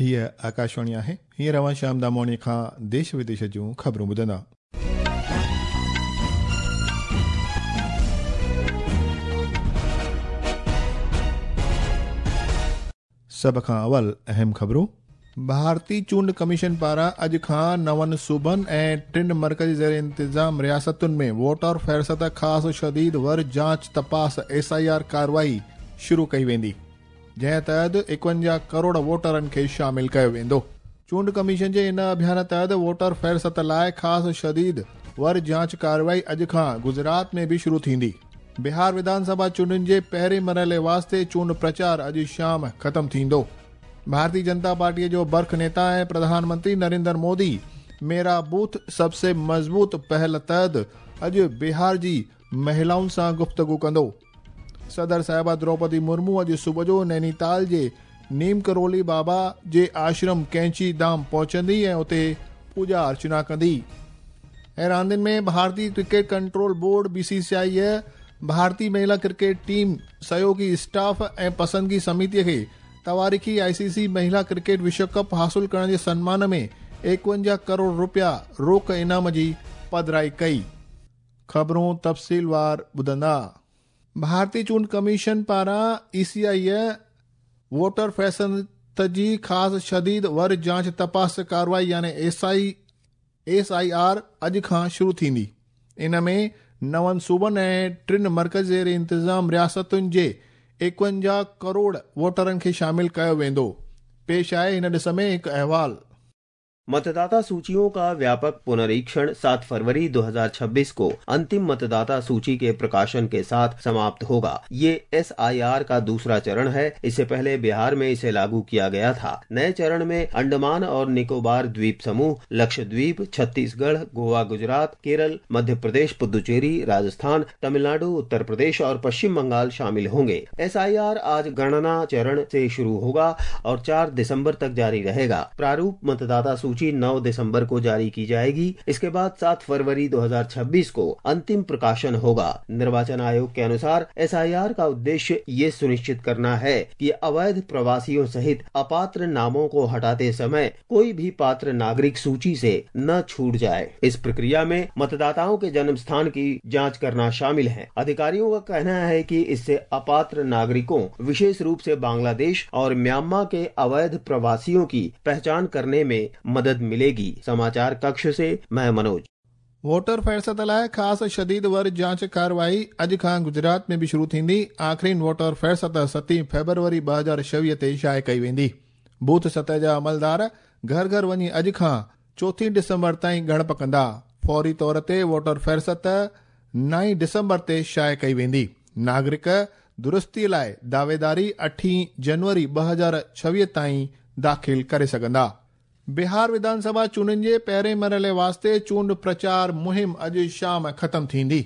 هيء آڪاشواڻي آهي. هينئر اوهان شيام داموڻي کان ديش وديش جون خبرون ٻڌندا. سڀ کان اول اهم خبرون. ڀارتي چونڊ ڪميشن پاران اڄ کان نون صوبن ۽ ٽن مرڪزي زير انتظام رياستن ۾ ووٽر فهرست خاص شديد ور جاچ تپاس ايس I R ڪارروائي شروع ڪئي ويندي. جنهن تحت 51 ڪروڙ ووٽرن کي شامل ڪيو ويندو. چونڊ ڪميشن جي ان اڀيان تحت ووٽر فهرست لاء خاص شديد ور جاچ ڪارروائي اڄ کان گجرات ۾ به شروع ٿيندي. بهار وڌان سڀا چونڊن جي پهرين مرحلي واسطي چونڊ پرچار اڄ شام ختم ٿيندو. ڀارتي جنتا پارٽيء جو برک نيتا ۽ پرڌان منتري نريندر مودي ميرا بوٿ سب سي مضبوط پهل تحت اڄ بهار جي مهلائن سان گفتگو ڪندو. صدر صاحبه دروپدي مرمو اڄ صبح جو نينيتال جي نيم ڪرولي بابا جي آشرم ڪينچي ڌام پهچندي ۽ اتي پوڄا ارچنا ڪندي. ۽ راندين ۾ ڀارتي cricket control board, B C C I, ڀارتي مهلا ڪرڪيٽ ٽيم سهيوگي اسٽاف ۽ پسندگي سميتي کي تواريخي آء سي سي مهلا ڪرڪيٽ وشو ڪپ حاصل ڪرڻ جي سنمان ۾ 51 ڪروڙ رپيا روڪ انعام جي پڌرائي ڪئي. خبرون تفصيلوار ٻڌندا. ڀارتي چونڊ ڪميشن پاران اي سي I voter فهرست جي خاص شديد ور جاچ تپاس ڪارروائي يعني ايس I R اڄ کان شروع ٿيندي. ان ۾ نون صوبن ۽ ٽن مرڪزي زير انتظام رياستن جي 51 ڪروڙ ووٽرن کي شامل ڪيو ويندو. پيش آهي هن ڏس ۾ هڪ احوال. मतदाता सूचियों का व्यापक पुनरीक्षण 7 फरवरी 2026 को अंतिम मतदाता सूची के प्रकाशन के साथ समाप्त होगा। ये एसआईआर का दूसरा चरण है। इससे पहले बिहार में इसे लागू किया गया था। नए चरण में अंडमान और निकोबार द्वीप समूह, लक्षद्वीप, छत्तीसगढ़, गोवा, गुजरात, केरल, मध्य प्रदेश, पुदुचेरी, राजस्थान, तमिलनाडु, उत्तर प्रदेश और पश्चिम बंगाल शामिल होंगे। एसआईआर आज गणना चरण से शुरू होगा और 4 दिसंबर तक जारी रहेगा। प्रारूप मतदाता सूची 9 दिसंबर को जारी की जाएगी। इसके बाद 7 फरवरी 2026 को अंतिम प्रकाशन होगा। निर्वाचन आयोग के अनुसार एसआईआर का उद्देश्य ये सुनिश्चित करना है कि अवैध प्रवासियों सहित अपात्र नामों को हटाते समय कोई भी पात्र नागरिक सूची से न छूट जाए। इस प्रक्रिया में मतदाताओं के जन्म स्थान की जांच करना शामिल है। अधिकारियों का कहना है कि इससे अपात्र नागरिकों, विशेष रूप से बांग्लादेश और म्यांमार के अवैध प्रवासियों की पहचान करने में मदद मिलेगी। समाचार कक्ष से मैं मनोज। वोटर फहरिस्त लाइ ख़ासि शदीद वर जांच कार्रवाई अॼु खां गुजरात में बि शुरू थींदी। आख़िरीन वोटर फहरिस्त 7 फरवरी 2026 ते शाये कई वेंदी। बूथ सतह जा अमलदार घर घर वञी अॼु खां 4 डिसंबर ताईं ॻणप कंदा। फौरी तौर ते वोटर फहरिस्त 9 डिसंबर ते शाये कई वेंदी। नागरिक दुरुस्ती लाइ दावेदारी 8 जनवरी 2026 ताईं दाख़िल करे सघंदा। बिहार विधानसभा चूंडनि जे पहिरें मरहले वास्ते चूंड प्रचार मुहिम अॼु शाम ख़तमु थींदी।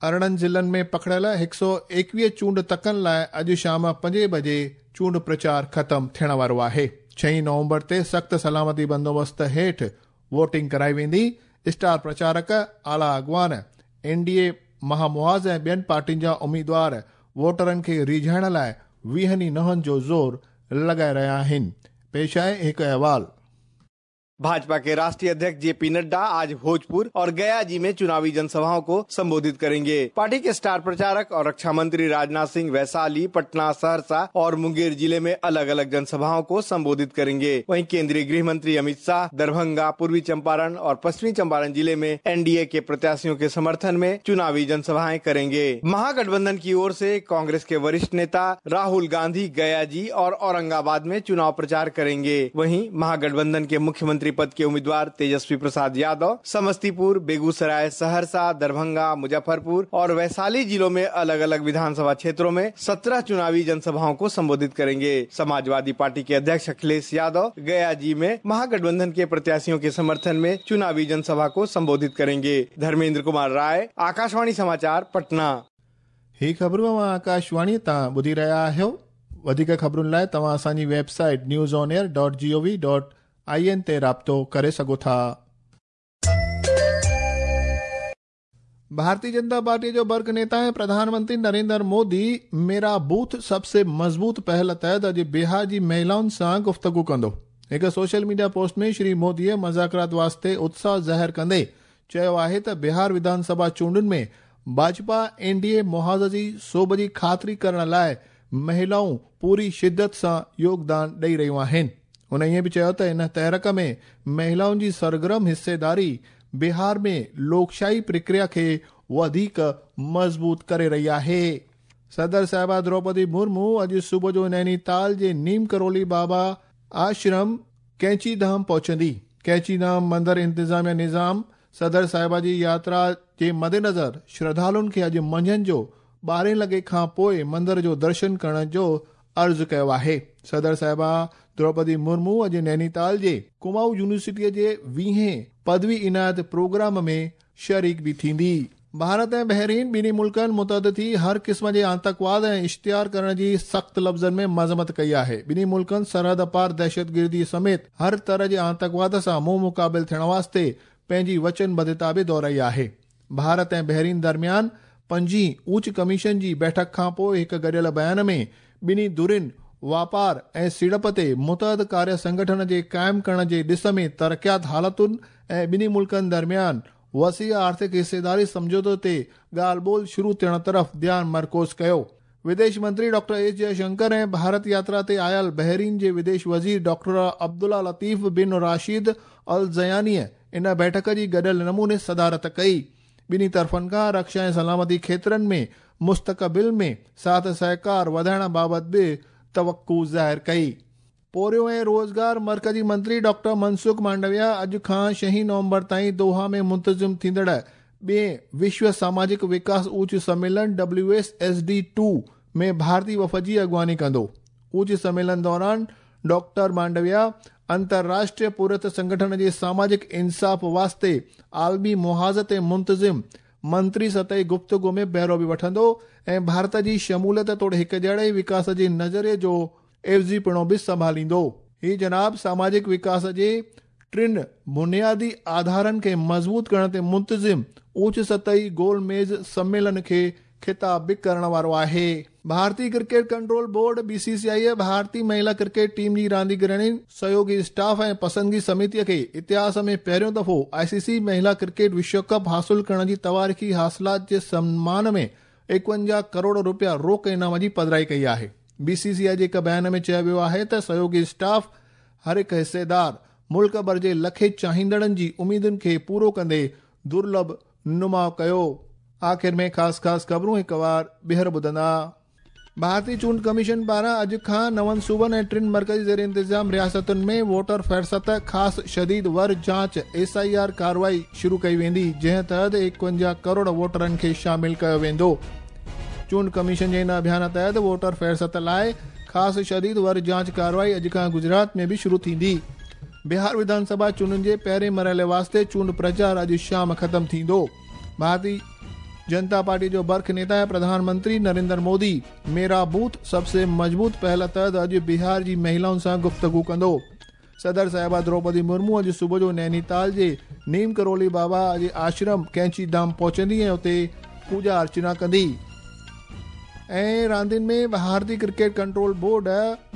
18 ज़िलनि में पखड़ियल 121 चूंड तकनि लाइ अॼु शाम 5 बजे चूंड प्रचार ख़तमु थियण वारो आहे। 6 नवंबर ते सख़्तु सलामती बंदोबस्त हेठि वोटिंग कराई वेंदी। स्टार प्रचारक, आला अॻवान, एनडीए महामुहाज़ ऐं ॿियनि पार्टियुनि जा उम्मीदवार वोटरनि खे रीझाइण लाइ 20 नहनि जो ज़ोर लॻाए रहिया आहिनि। पेश आहे हिकु अहवाल। भाजपा के राष्ट्रीय अध्यक्ष जेपी नड्डा आज भोजपुर और गया जी में चुनावी जनसभाओं को संबोधित करेंगे। पार्टी के स्टार प्रचारक और रक्षा मंत्री राजनाथ सिंह वैशाली, पटना, सहरसा और मुंगेर जिले में अलग अलग जनसभाओं को संबोधित करेंगे। वहीं केंद्रीय गृह मंत्री अमित शाह दरभंगा, पूर्वी चंपारण और पश्चिमी चंपारण जिले में एनडीए के प्रत्याशियों के समर्थन में चुनावी जनसभाएं करेंगे। महागठबंधन की ओर से कांग्रेस के वरिष्ठ नेता राहुल गांधी गया जी और औरंगाबाद में चुनाव प्रचार करेंगे। वहीं महागठबंधन के मुख्यमंत्री पद के उम्मीदवार तेजस्वी प्रसाद यादव समस्तीपुर, बेगूसराय, सहरसा, दरभंगा, मुजफ्फरपुर और वैशाली जिलों में अलग अलग विधानसभा क्षेत्रों में 17 चुनावी जनसभाओं को संबोधित करेंगे। समाजवादी पार्टी के अध्यक्ष अखिलेश यादव गया जी में महागठबंधन के प्रत्याशियों के समर्थन में चुनावी जनसभा को संबोधित करेंगे। धर्मेंद्र कुमार राय, आकाशवाणी समाचार, पटना। ही ख़बरूं आकाशवाणी तां ॿुधी रहिया आहियो। वधीक ख़बरुनि लाइ तव्हां असांजी वेबसाइट newsonair.gov.in ते राब्तो करे सघो था। भारतीय जनता पार्टी जो बर्क नेता ऐं प्रधानमंत्री नरेंद्र मोदी मेरा बूथ सबसे मज़बूत पहल तहत अॼु बिहार जी महिलाउनि सां गुफ़्तगू कंदो। هڪ سوشل ميڊيا پوسٽ ۾ شري موديء مذاڪرات واسطي اتساهه ظاهر ڪندي چيو آهي ته بهار وڌان سڀا چونڊن ۾ ڀاجپا اين ڊي اي محاذ جي سوڀ جي خاطري ڪرڻ لاء مهلائون پوري شدت سان يوگدان ڏئي رهيون آهن. هن ائين به چيو ته ان تحرڪ ۾ مهلائن جي سرگرم حصيداري بهار ۾ لوڪشاهي پرڪريا کي وڌيڪ مضبوط ڪري رهي آهي. صدر صاحبه دروپدي مرمو اڄ صبح جو نينيتال جي نيم ڪرولي بابا آشرم ڪينچي ڌام پهچندي. ڪينچي ڌام مندر انتظاميا نظام صدر صاحبه جي ياترا جي مدنظر شرڌالن کي اڄ منجهند جو 12 لڳي کان پوءِ مندر جو درشن ڪرڻ جو عرض ڪيو آهي. صدر صاحبه دروپدي مرمو اڄ نينيتال جي ڪمائون يونيورسٽيءَ جي 20هين پدوي عنايت پروگرام ۾ شريڪ به ٿيندي. ڀارت ۽ بحرين ٻنهي ملڪن متحد ٿي هر قسم جي آتنڪواد ۽ اشتهار ڪرڻ جي سخت لفظن ۾ مذمت ڪئي آهي. ٻنهي ملڪن سرحد پار دهشتگردي سميت هر طرح جي آتنڪواد سان منهن مقابل ٿيڻ واسطي پنهنجي وچنبڌتا به دهرائي آهي. ڀارت ۽ بحرين درميان پنجين اوچ ڪميشن جي بيٺڪ کان پوءِ هڪ گڏيل بيان ۾ ٻنهي ڌرين واپار ۽ سيڙپ تي متحد ڪاريه سنگٺن جي قائم ڪرڻ جي ڏس ۾ ترقيات حالتن ۽ ٻنهي ملڪن درميان وسيع آرٿڪ حصيداري سمجهوتو تي ڳالهه ٻولهه شروع ٿيڻ طرف ڌيان مرڪوز ڪيو. وديش منتري ڊاڪٽر ايس جئشنڪر ۽ ڀارت ياترا تي آيل بحرين جي وديش وزير ڊاڪٽر عبدالله لطيف بن راشد ال زيانيءَ ان بيٺڪ جي گڏيل نموني صدارت ڪئي. ٻنهي طرفن کان رڪشا ۽ سلامتي کيترن ۾ مستقبل ۾ ساٿ سهڪار وڌائڻ بابت به توقع ظاهر ڪئي. پورهيو ۽ روزگار مرڪزي منتري ڊاڪٽر منسک مانڊويا اڄ کان 6 نومبر تائين دوها ۾ منتظم ٿيندڙ ٻئين وشو ساماجڪ وڪاس اوچ سميلن WSSD 2 ۾ ڀارتي وفد جي اڳواڻي ڪندو. اوچ سميلن دوران ڊاڪٽر مانڊويا انترراشٽريه پورهيت سنگٺن جي ساماجڪ انصاف واسطي عالمي محاذ تي منتظم منتري سطحي گفتگو ۾ بهرو به وٺندو ۽ ڀارت جي شموليت توڙي هڪجهڙي وڪاس جي نظريي جو عيوضي پڻو به سنڀاليندو. هي جناب ساماجڪ وڪاس جي ٽن بنيادي آڌارن کي مضبوط ڪرڻ تي منتظم اوچ سطحي گول ميز سميلن کي خطاب به ڪرڻ وارو آهي. ڀارتي ڪرڪيٽ ڪنٽرول بورڊ BCCI ڀارتي مهلا ڪرڪيٽ ٽيم جي رانديگرڻين، سهيوگي اسٽاف ۽ پسندگي سميتيءَ کي اتهاس ۾ پهريون دفعو ICC مهلا ڪرڪيٽ وشو ڪپ حاصل ڪرڻ جي تواريخي حاصلات جي سمان ۾ 51 ڪروڙ رپيا روڪ انعام جي پڌرائي ڪئي آهي. BCCI جي هڪ بيان ۾ چيو ويو آهي ته سهيوگي اسٽاف هر هڪ حصيدار ملڪ ڀر جي لکين چاهيندڙن جي اميدن کي پورو ڪندي درلڀ نماءُ ڪيو. آخر ۾ خاص خاص خبرون هڪ وار ٻيهر ٻڌندا. ڀارتي چونڊ ڪميشن پاران اڄ کان 9 صوبن ۽ 3 مرڪزي زير انتظام رياستن ۾ ووٽر فهرست خاص شديد ور جاچ SIR ڪارروائي شروع ڪئي ويندي، جنهن تحت 51 ڪروڙ ووٽرن کي شامل ڪيو ويندو. چونڊ ڪميشن جي ان اڀيان تحت ووٽر فهرست لاءِ خاص شديد ور جاچ ڪارروائي اڄ کان گجرات ۾ به شروع ٿيندي. بهار وڌان سڀا چونڊن جي پهرين مرحلي واسطي چونڊ پرچار اڄ شام ختم ٿيندو. ڀارتي جنتا پارٽي جو برک نيتا ۽ پرڌان منتري نريندر مودي ميرا بوٿ سب سي مضبوط پهل تحت اڄ بهار جي مهلائن سان گفتگو ڪندو. صدر صاحبه دروپدي مرمو اڄ صبح جو نينيتال جي نيم ڪرولي بابا جي آشرم ڪينچي ڌام پهچندي ۽ اتي پوڄا ارچنا ڪندي. ۽ راندين ۾ ڀارتي ڪرڪيٽ ڪنٽرول بورڊ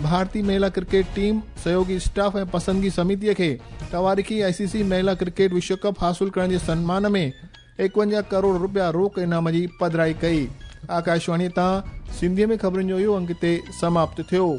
ڀارتي مهلا ڪرڪيٽ ٽيم، سهيوگي اسٽاف ۽ پسندگي سميتيءَ کي تواريخي ICC مهلا ڪرڪيٽ وشو ڪپ حاصل ڪرڻ جي سنمان ۾ 51 ڪروڙ رپيا روڪ انعام جي پڌرائي ڪئي. آڪاشواڻيءَ تان سنڌيءَ ۾ خبرن جو اهو انگ هتي سماپت ٿيو.